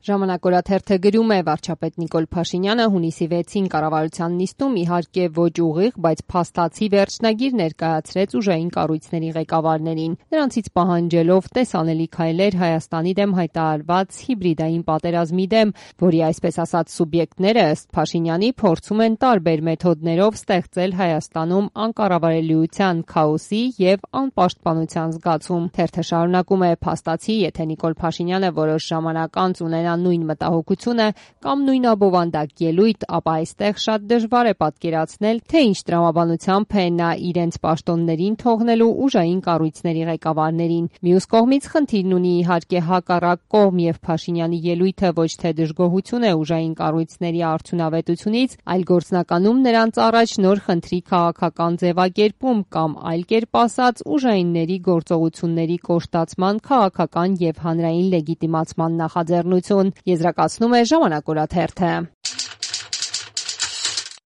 Ժամանակ օրաթերթը գրում է վարչապետ Նիկոլ Փաշինյանը հունիսի 6-ին կառավարության նիստում իհարկե ոչ ուղիղ, բայց փաստացի վերջնագիր ներկայացրեց ուժային կառույցների ղեկավարներին, նրանցից պահանջելով տեսանելի քայլեր Հայաստանի դեմ հայտարարված հիբրիդային պատերազմի դեմ, որի այսպես ասած սուբյեկտները ըստ Փաշինյանի փորձում են տարբեր մեթոդներով ստեղծել Հայաստանում անկառավարելիության, քաոսի եւ անպաշտպանության զգացում։ Թերթը շարունակում է փաստացի, եթե Նիկոլ Փաշինյանը որոշ ժամանակ անց ունենա նույն մտահոգությունը կամ նույն աբովանդակ ելույթ, ապա այստեղ շատ դժվար է պատկերացնել, թե ինչ տրամաբանությամբ է նա իրենց պաշտոններին թողնելու ուժային կառույցների ղեկավարներին։ Մյուս կողմից խնդիրն ունի իհարկե հակառակ կողմ եւ Փաշինյանի ելույթը ոչ թե դժգոհություն է ուժային կառույցների արդյունավետությունից, այլ գործնականում նրանց առաջ նոր խնդրի քաղաքական ձևակերպում կամ այլ կերպ ասած ուժայինների գործողությունների կոշտացման քաղաքական եւ հանրային լեգիտիմացման նախաձեռնություն, եզրակացնում է Ժամանակ օրաթերթը։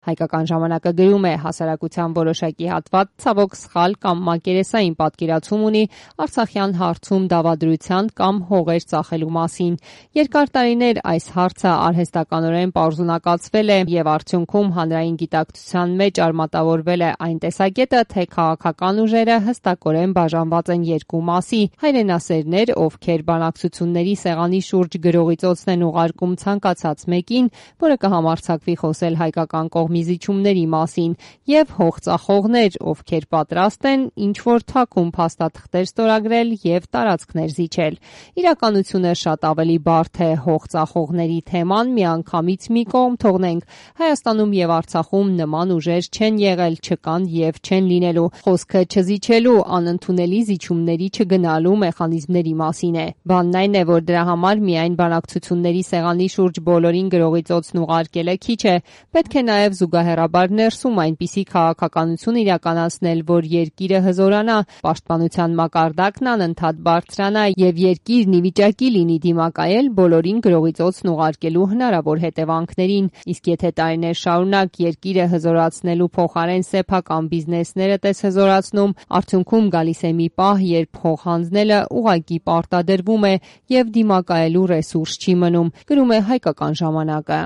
Հայկական ժամանակը գրում է հասարակության որոշակի հատված ցավոք սխալ կամ մակերեսային պատկերացում ունի Արցախյան հարցում դավադրության կամ հողեր ծախելու մասին։ Երկար տարիներ այս հարցը արհեստականորեն պարզունակացվել է եւ արդյունքում հանրային գիտակցության մեջ արմատավորվել է այն տեսակետը, թե քաղաքական ուժերը հստակորեն բաժանված են երկու մասի՝ հայրենասերներ, ովքեր բանակցությունների սեղանի շուրջ գրողի ծոցն են ուղարկում ցանկացած մեկին, որը կհամարձակվի խոսել հայկական զիջումների մասին, եւ հողծախողներ, ովքեր պատրաստ են ինչ-որ թաքուն փաստաթղթեր ստորագրել եւ տարածքներ զիջել։ Իրականությունը շատ ավելի բարդ է։ Հողծախողների թեման միանգամից մի կողմ թողնենք։ Հայաստանում եւ Արցախում նման ուժեր չեն եղել, չկան եւ չեն լինելու։ Խոսքը չզիջելու, անընդունելի զիջումների չգնալու մեխանիզմների մասին է։ Բանն այն է, որ դրա համար միայն բանակցությունների սեղանի շուրջ բոլորին գրողի ծոցն ուղարկելը քիչ է։ Պետք է նաեւ զուգահեռաբար ներսում այնպիսի քաղաքականություն իրականացնել, որ երկիրը հզորանա, պաշտպանության մակարդակն անընդհատ բարձրանա եւ երկիրն ի վիճակի լինի դիմակայել բոլորին գրողի ծոցն ուղարկելու հնարավոր հետևանքներին։ Իսկ եթե տարիներ շարունակ երկիրը հզորացնելու փոխարեն սեփական բիզնեսները տես հզորացնում, արդյունքում գալիս է մի պահ, երբ հող հանձնելը ուղղակի պարտադրվում է եւ դիմակայելու ռեսուրս չի մնում, գրում է Հայկական ժամանակը։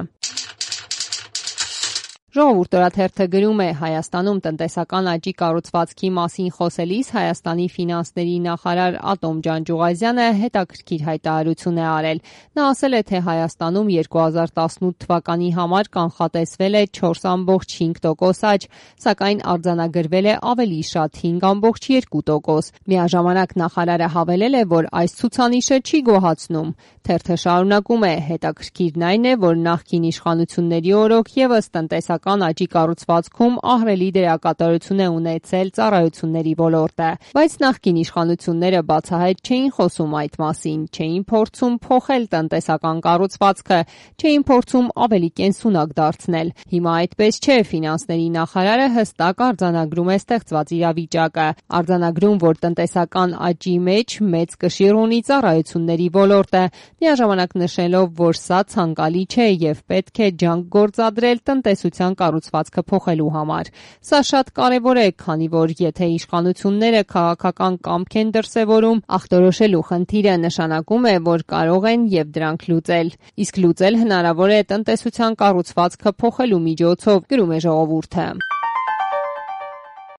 Ժողովուրդ օրաթերթը գրում է Հայաստանում տնտեսական աճի կառուցվածքի մասին խոսելիս Հայաստանի ֆինանսների նախարար Ատոմ Ջանջուղազյանը հետաքրքիր հայտարարություն է արել։ Նա ասել է, թե Հայաստանում 2018 թվականի համար կանխատեսվել է 4.5% աճ, սակայն արձանագրվել է ավելի շատ 5.2%։ Միաժամանակ նախարարը հավելել է, որ այս ցուցանիշը չի գոհացնում։ Թերթը շարունակում է. հետաքրքիրն այն է, որ նախկին իշխանությունների օրոք եւս տնտեսական աճի կառուցվածքում ահռելի դերակատարություն է ունեցել ծառայությունների ոլորտը, բայց նախկին իշխանությունները բացահայտ չէին խոսում այդ մասին, չէին փորձում փոխել տնտեսական կառուցվածքը, չէին փորձում ավելի կենսունակ դարձնել։ Հիմա այդպես չէ, ֆինանսների նախարարը հստակ արձանագրում է ստեղծված իրավիճակը, արձանագրում, որ տնտեսական աճի մեջ մեծ կշիռ ունի ծառայությունների ոլորտը, միաժամանակ նշելով, որ սա ցանկալի չէ եւ պետք է ջանք գործադրել տնտեսության կառուցվածքը փոխելու համար։ Սա շատ կարևոր է, քանի որ եթե իշխանությունները քաղաքական կամք են դրսևորում, ախտորոշելու խնդիրը նշանակում է, որ կարող են եւ դրանք լուծել։ Իսկ լուծել հնարավոր է տնտեսության կառուցվածքը փոխելու միջոցով, գրում է Ժողովուրդը։